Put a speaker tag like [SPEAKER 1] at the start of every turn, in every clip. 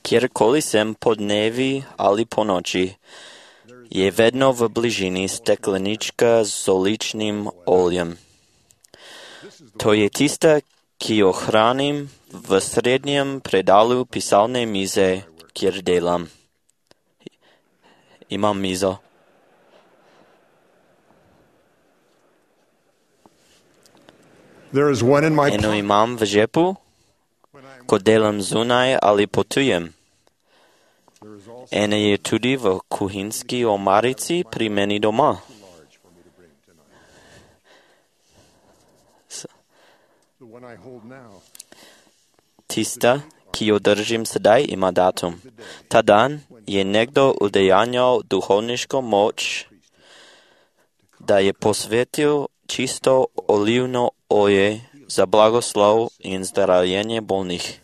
[SPEAKER 1] Kjerkoli sem podnevi ali ponoči, je vedno v bližini steklenička s oličným oljem. To je tista, ki jo hranim v srednjem predalu pisalnej mize, kjer delam. Imam mizo. Eno imam v žepu, ko delam zunaj ali potujem. Ena je tudi v kuhinjski omarici pri meni doma. Tista, ki jo držim sedaj, ima datum. Ta dan je nekdo udejanjal duhovniško moč, da je posvetil čisto olivno olje za blagoslov in zdravljenje bolnih.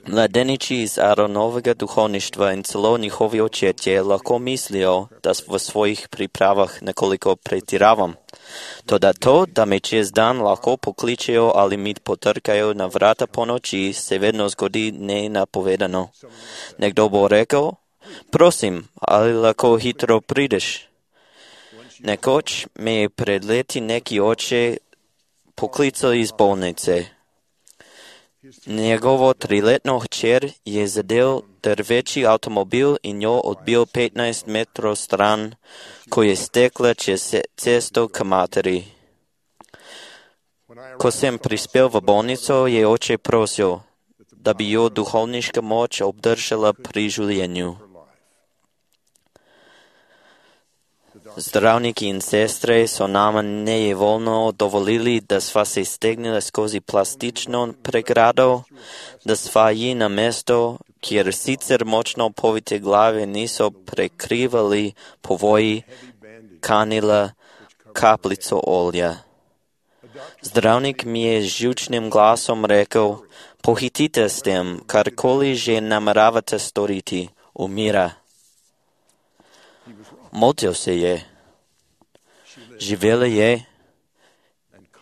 [SPEAKER 1] Mladeniči iz Aaronovega duhovništva in celo njihovi očetje lahko mislijo, da v svojih pripravah nekoliko pretiravam. Toda to, da me čez dan lahko pokličejo ali mi potrkajo na vrata po noči, se vedno zgodi nenapovedano. Nekdo bo rekel, prosim, ali lahko hitro prideš. Nekoč me je pred leti neki oče poklical iz bolnice. Njegovo 3-letno hčer je zadel drveči avtomobil in jo odbil 15 metrov stran, ko je stekla čez cesto k materi. Ko sem prispel v bolnico, je oče prosil, da bi jo duhovniška moč obdržala pri življenju. Zdravniki in sestre so nama nejevoljno dovolili, da sva se stegnila skozi plastično pregrado, da sva ji na mesto, kjer sicer močno povite glave niso prekrivali povoji, kanila kapljico olja. Zdravnik mi je z živčnim glasom rekel, pohitite s tem, karkoli že nameravate storiti, umira. Motil se je. Živela je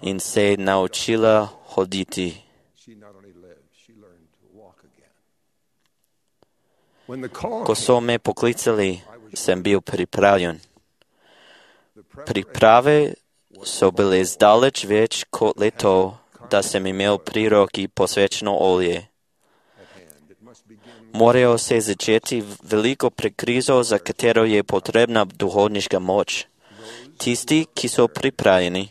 [SPEAKER 1] in se je naučila hoditi. Ko so me poklicali, sem bil pripravljen. Priprave so bile zdaleč več kot le to, da sem imel pri roki posvečeno olje. Morajo se začeti veliko prekrizo, za katero je potrebna duhovniška moč. Tisti, ki so pripravljeni,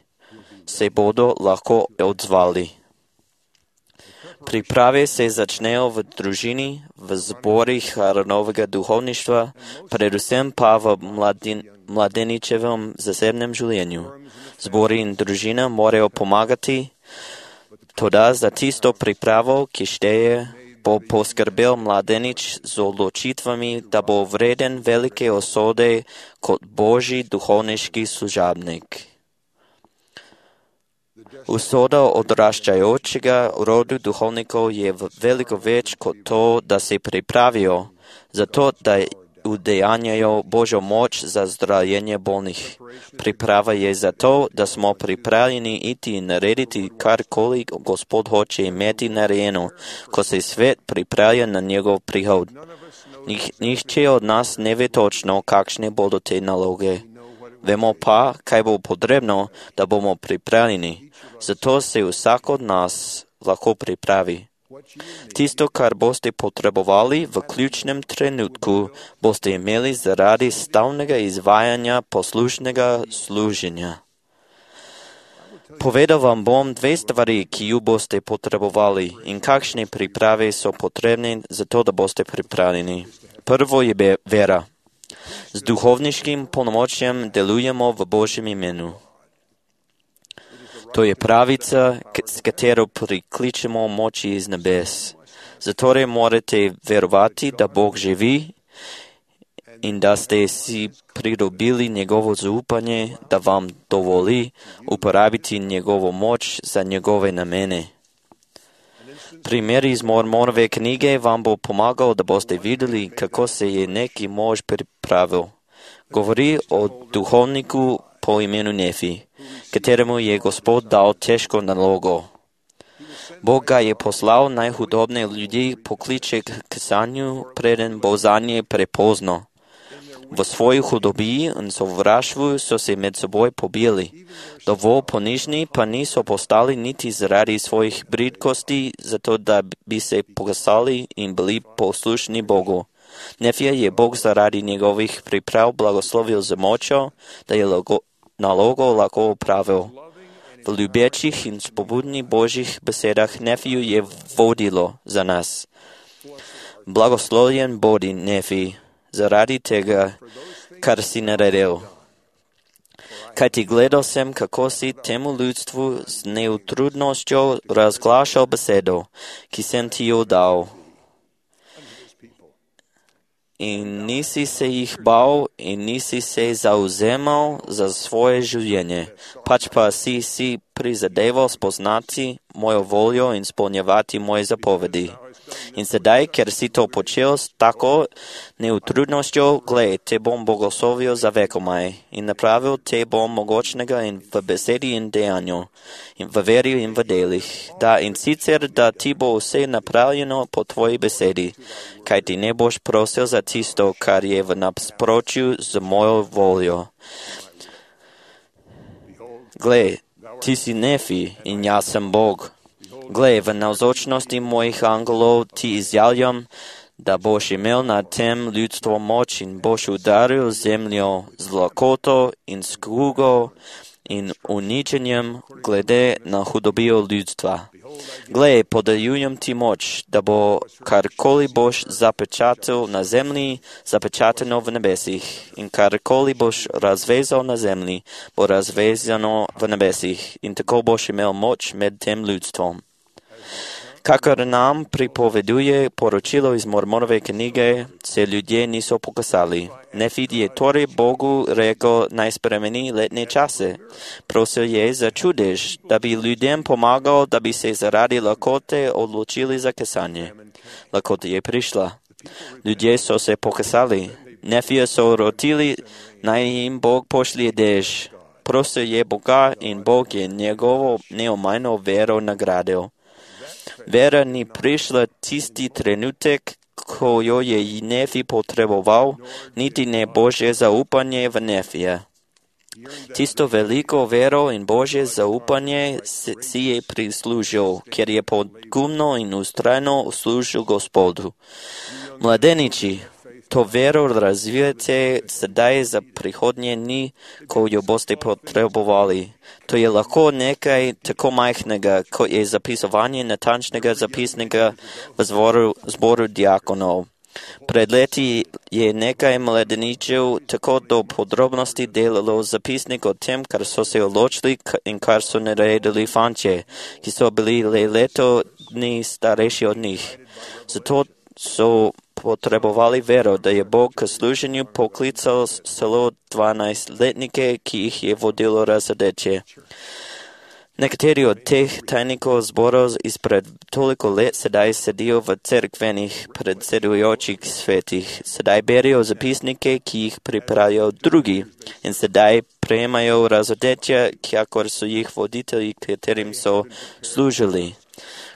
[SPEAKER 1] se bodo lahko odzvali. Priprave se začnejo v družini, v zborih Aaronovega duhovništva, predvsem pa v mladeničevem zasebnem življenju. Zbori in družina morajo pomagati, toda za tisto pripravo, ki šteje, bo poskrbel mladenič z odločitvami, da bo vreden velike osode kot božji duhovniški služabnik. Usoda odraščajočega rodu duhovnikov je veliko več kot to, da se pripravijo, zato da udejanjajo Božjo moč za zdravljenje bolnih. Priprava je zato, da smo pripravljeni iti in narediti karkoli Gospod hoče imeti narejeno, ko se svet pripravlja na njegov prihod. Nihče od nas ne ve točno, kakšne bodo te naloge. Vemo pa, kaj bo potrebno, da bomo pripravljeni. Zato se vsak od nas lahko pripravi. Tisto, kar boste potrebovali v ključnem trenutku, boste imeli zaradi stalnega izvajanja poslušnega služenja. Povedal vam bom 2 stvari, ki ju boste potrebovali in kakšne priprave so potrebne za to, da boste pripravljeni. Prvo je vera. Z duhovniškim polnomočjem delujemo v Božjem imenu. To je pravica, s katero prikličemo moči iz nebes. Zatorej morate verovati, da Bog živi in da ste si pridobili njegovo zaupanje, da vam dovoli uporabiti njegovo moč za njegove namene. Primer iz Mormonove knjige vam bo pomagal, da boste videli, kako se je neki mož pripravil. Govori o duhovniku po imenu Nefi, kateremu je Gospod dal težko nalogo. Бог ga je poslao najhudobne ljudi pokliče k kasanju preden bo zanje prepozno. V svoji hudobi in sovraštvu so se med seboj pobili. Dovolj ponižni pa niso postali niti zaradi svojih bridkosti, zato da bi se pokasali in bili poslušni Bogu. Nefija je Bog zaradi njegovih priprav blagoslovil z močjo, da je nalogo lahko opravil. V ljubečih in spobudnih Božjih besedah Nefiju je vodilo za nas. Blagoslovljen bodi Nefij zaradi tega, kar si naredil. Kajti gledal sem, kako si temu ljudstvu z neutrudnostjo razglašal besedo, ki sem ti jo dal. In nisi se jih bal in nisi se zauzemal za svoje življenje, pač pa si prizadeval spoznati mojo voljo in spolnjevati moje zapovedi. In sedaj, ker si to počel s tako neutrudnostjo, glej, te bom blagoslovil za vekomaj in napravil te bom mogočnega in v besedi in dejanju, in v veri in v delih, da in sicer, da ti bo vse napravljeno po tvoji besedi, kaj ti ne boš prosil za tisto, kar je v nasprotju z mojo voljo. Glej, ti si Nefij in jaz sem Bog. Glej, v navzočnosti mojih angelov ti izjavljam, da boš imel nad tem ljudstvo moč in boš udaril zemljo z lakoto in skugo in uničenjem glede na hudobijo ljudstva. Glej, podeljujem ti moč, da bo karkoli boš zapečatil na zemlji, zapečateno v nebesih, in karkoli boš razvezal na zemlji, bo razvezano v nebesih, in tako boš imel moč med tem ljudstvom. Kakor nam pripoveduje poročilo iz Mormonove knjige, se ljudje niso pokasali. Nefij je torej Bogu rekel, naj spremeni letne čase. Prosil je za čudež, da bi ljudem pomagal, da bi se zaradi lakote odločili za kasanje. Lakota je prišla. Ljudje so se pokasali. Nefija so rotili, naj jim Bog pošlje dež. Prosil je Boga in Bog je njegovo neomajno vero nagradil. Vera ni prišla tisti trenutek, ko jo je Nefij potreboval, niti ne Božje zaupanje v Nefija. Tisto veliko vero in Božje zaupanje si je prislužil, ker je pogumno in ustrajno služil Gospodu. Mladeniči, to vero razvijate sedaj za prihodnje dni, ko jo boste potrebovali. To je lahko nekaj tako majhnega, kot je zapisovanje natančnega zapisnika v zboru diakonov. Pred leti je nekaj mladeničev tako do podrobnosti delalo zapisnik o tem, kar so se odločili in kar so naredili fantje, ki so bili le leto dni starejši od njih. Zato so potrebovali vero, da je Bog k služenju poklical celo 12-letnike, ki jih je vodilo razadeče. Nekateri od teh tajnikov zborov izpred toliko let sedaj sedijo v cerkvenih predsedujočih svetih. Sedaj berijo zapisnike, ki jih pripravijo drugi in sedaj prejemajo razodetja, kakor so jih voditelji, katerim so služili.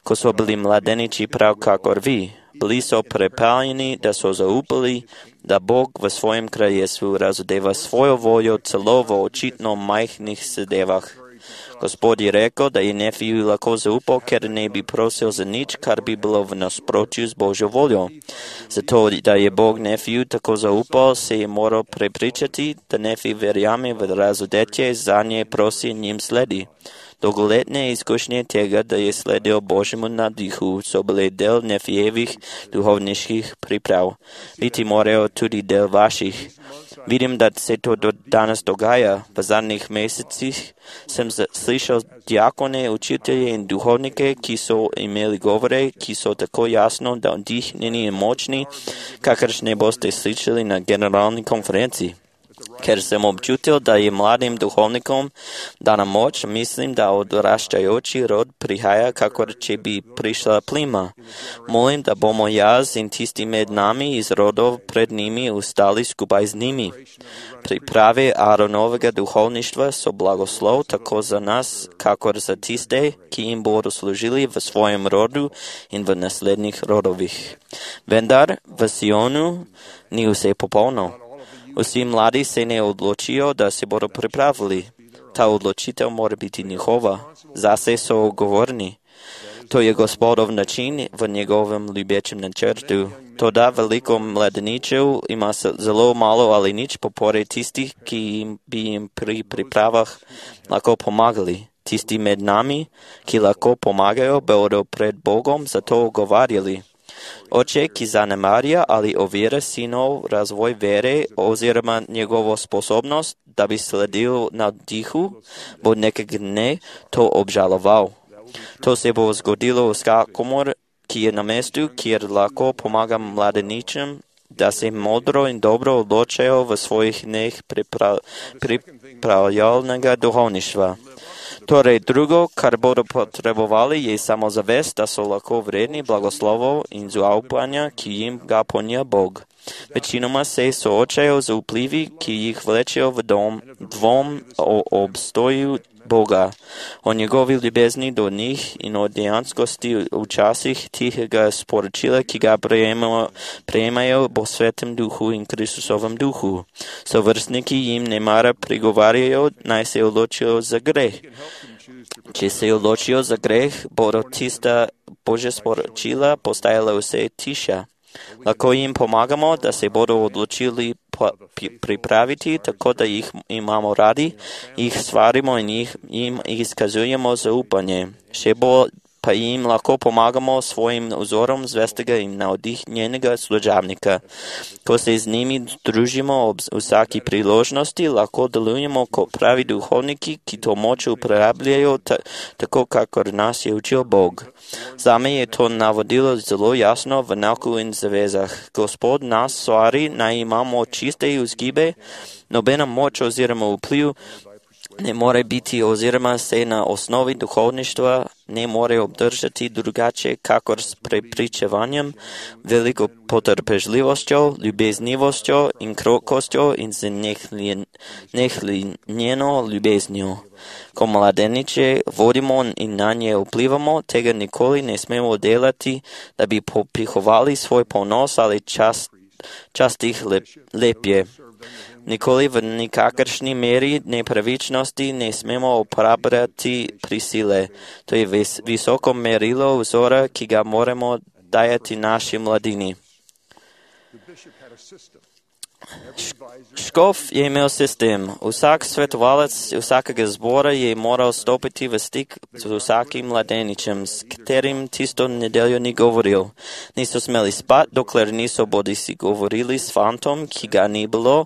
[SPEAKER 1] Ko so bili mladeniči prav kakor vi, bili so prepaljeni, da so zaupali, da Bog v svojem kraljestvu razodeva svojo voljo celo v očitno majhnih zadevah. Gospod je rekel, da je Nefiju lahko zaupal, ker ne bi prosil za nič, kar bi bilo v nasprotju z Božjo voljo. Zato, da je Bog Nefiju tako zaupal, se je moral prepričati, da Nefij verjame v razodetje, za nje prosi in njim sledi. Dolgoletne izkušnje tega, da je sledil Božjemu nadihu, so bile del Nefijevih duhovniških priprav. Biti morajo tudi del vaših. Vidim, da se to danes dogaja. V zadnjih mesecih sem slišal diakone, učitelje in duhovnike, ki so imeli govore, ki so tako jasno, da vdihnjeni in močni, kakršne boste slišali na generalni konferenci. Ker sam občutil, da je mladim duhovnikom dana moć, mislim da odraštajoči rod prihaja kako će bi prišla plima. Molim da bomo jaz in tisti med nami iz rodov pred njimi ustali skupaj z njimi. Priprave Aaronovega duhovništva so blagoslov tako za nas, kakor za tiste, ki jim bodo služili v svojem rodu in v naslednjih rodovih. Vendar v Sionu ni vse popolno. Vsi mladi se ne odločijo, da se bodo pripravili. Ta odločitev mora biti njihova. Zase so odgovorni. To je Gospodov način v njegovem ljubečem načrtu. Toda veliko mladeničev ima zelo malo ali nič podpore tistih, ki bi jim pri pripravah lahko pomagali. Tisti med nami, ki lahko pomagajo, bodo pred Bogom za to ogovarjali. Oče, ki zanemarja ali ovira sinov razvoj vere oziroma njegovo sposobnost, da bi sledil navdihu, bo nekega dne to obžaloval. To se bo zgodilo vsakomur, ki je na mestu, kjer lahko pomaga mladeničem, da se modro in dobro odločajo v svojih dneh pripravljalnega duhovništva. Torej, drugo, kar bodo potrebovali, je samozavest, da so lahko vredni blagoslovov in zaupanja, ki jim ga ponuja Bog. Večinoma se soočajo z vplivi, ki jih vlečejo v dvom o obstoju Boga, o njegovi ljubezni do njih in o dejanskosti včasih tihega sporočila, ki ga prejemajo po Svetem Duhu in Kristusovem Duhu. Sovrstniki jim nemara prigovarjajo, naj se odločijo za greh. Če se odločijo za greh, bodo tista Božja sporočila postajala vse tiša. Lahko jim pomagamo, da se bodo odločili pripraviti, tako da jih imamo radi, jih stvarimo in jim izkazujemo zaupanje. Še bolj pa jim lahko pomagamo svojim vzorom zvestega in navdihnjenega služabnika. Ko se z njimi družimo ob vsaki priložnosti, lahko delujemo kot pravi duhovniki, ki to moč uporabljajo tako, kakor nas je učil Bog. Zame je to navodilo zelo jasno v nauku in zavezah. Gospod nas stvari, naj imamo čiste vzgibe, nobena moč oziroma vpliv ne more biti oziroma se na osnovi duhovništva ne more obdržati drugače, kakor s prepričevanjem, veliko potrpežljivostjo, ljubeznivostjo in krokostjo in z nehlinjeno ljubeznjo. Ko mladeniče vodimo in na nje vplivamo, tega nikoli ne smemo delati, da bi popihovali svoj ponos ali čast jih lepje. Nikoli v nikakršni meri nepravičnosti ne smemo uporabljati prisile. To je visoko merilo vzora, ki ga moramo dajati naši mladini. Škof je imel sistem. Vsak svetovalec vsakega zbora je moral stopiti v stik z vsakim mladeničem, s katerim tisto nedeljo ni govoril. Niso smeli spati, dokler niso bodisi govorili s fantom, ki ga ni bilo,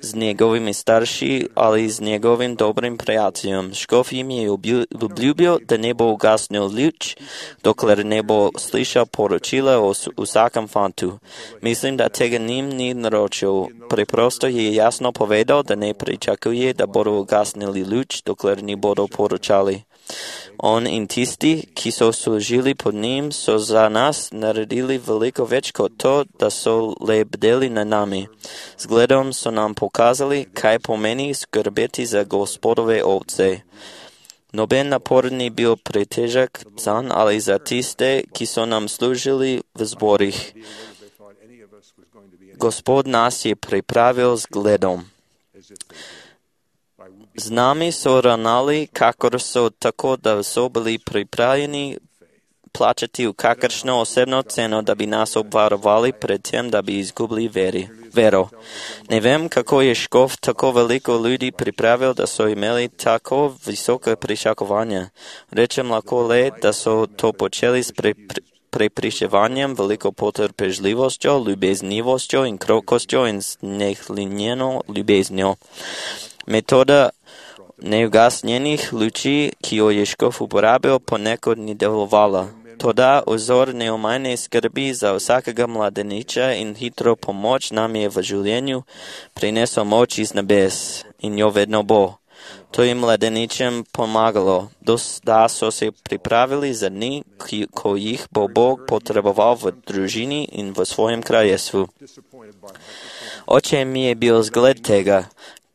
[SPEAKER 1] z njegovimi starši ali z njegovim dobrim prijateljem. Škof jim je obljubil, da ne bo ugasnil luč, dokler ne bo slišal poročila o vsakem fantu. Mislim, da tega njim ni naročil. Preprosto je jasno povedal, da ne pričakuje, da bodo ugasnili luč, dokler ni bodo poročali. On in tisti, ki so služili pod njim, so za nas naredili veliko več kot to, da so le bdeli na nami. Zgledom so nam pokazali, kaj pomeni skrbeti za Gospodove ovce. Noben napor ni bil pretežek zanj ali za tiste, ki so nam služili v zborih. Gospod nas je pripravil zgledom. Z nami so ravnali, kakor so, tako da so bili pripravljeni plačati v kakršno osebno ceno, da bi nas obvarovali pred tem, da bi izgubili vero. Ne vem, kako je škof tako veliko ljudi pripravil, da so imeli tako visoke pričakovanja. Rečem lahko le, da so to počeli s prepričevanjem, veliko potrpežljivostjo, ljubeznivostjo in krokostjo in nehlinjeno ljubeznjo. Metoda neugasnjenih luči, ki jo je škof uporabil, ponekod ni delovala. Toda uzor neumajne skrbi za vsakega mladeniča in hitro pomoč nam je v življenju prinesel moč iz nebes in jo vedno bo. To je mladeničem pomagalo, da so se pripravili za dni, ko jih bo Bog potreboval v družini in v svojem kraljestvu. Oče mi je bil zgled tega,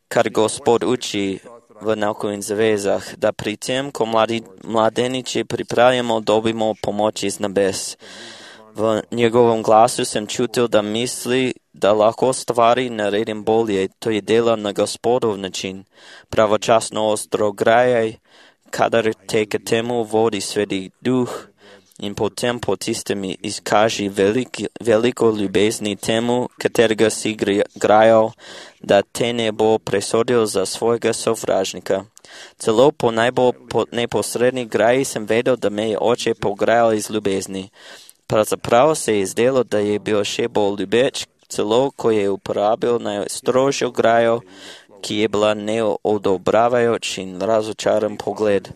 [SPEAKER 1] kar Gospod uči v nauku in zavezah, da pri tem, ko mladeniči pripravimo, dobimo pomoč iz nebes. V njegovem glasu sem čutil, da misli, da lahko stvari naredim bolje. To je delo na Gospodov način. Pravočasno ostrograjaj, kadar te k temu vodi Sveti Duh, in potem po tistem izkaži veliko ljubezni temu, katerega si grajal, da te ne bo presodil za svojega sovražnika. Celo po najbolj neposredni graji sem vedel, da me je oče pograjal iz ljubezni. Pravzaprav se je zdelo, da je bil še bolj ljubeč, celo ko je uporabil najstrožjo grajo, ki je bila neodobravajoč in razočaran pogled.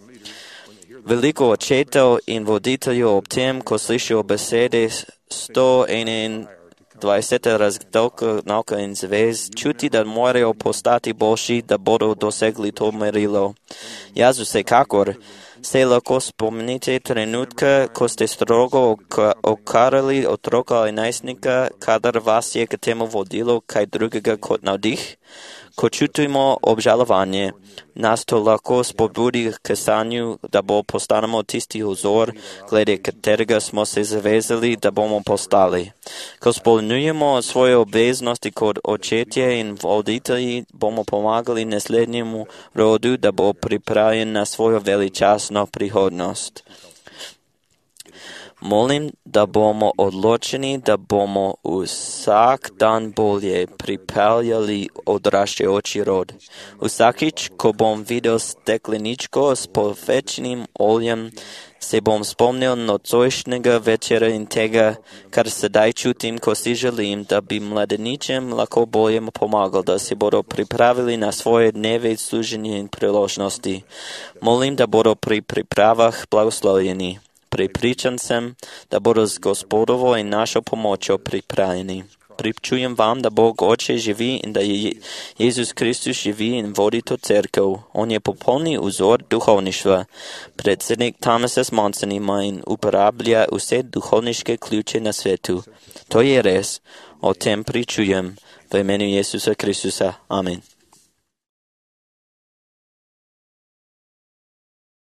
[SPEAKER 1] Veliko očetov in voditeljev ob tem, ko slišijo besede 121 razdelka nauka in zavez, čuti, da morajo postati boljši, da bodo dosegli to merilo. Jaz vsekakor. Se lahko spomnite trenutka, ko ste strogo okarali otroka ali najstnika, kadar vas je k temu vodilo kaj drugega kot navdih? Ko čutimo obžalovanje, nas to lahko spodbudi k sanju, da postanemo tisti vzor, glede katerega smo se zavezali, da bomo postali. Ko izpolnjujemo svoje obveznosti kot očetje in voditelji, bomo pomagali naslednjemu rodu, da bo pripravljen na svojo veličastno prihodnost. Molim, da bomo odločeni, da bomo vsak dan bolje pripeljali odraščajoči rod. Vsakič, ko bom videl stekleničko s povečnim oljem, se bom spomnil nocojšnjega večera in tega, kar sedaj čutim, ko si želim, da bi mladeničem lahko bolje pomagal, da se bodo pripravili na svoje dneve služenja in priložnosti. Molim, da bodo pri pripravah blagoslovljeni. Prepričan sem, da bodo z Gospodovo in našo pomočjo pripravljeni. Pričujem vam, da Bog Oče živi in da je Jezus Kristus živi in vodi to cerkev. On je popolni vzor duhovništva. Predsednik Thomas S. Monson ima in uporablja vse duhovniške ključe na svetu. To je res. O tem pričujem. V imenu Jezusa Kristusa. Amen.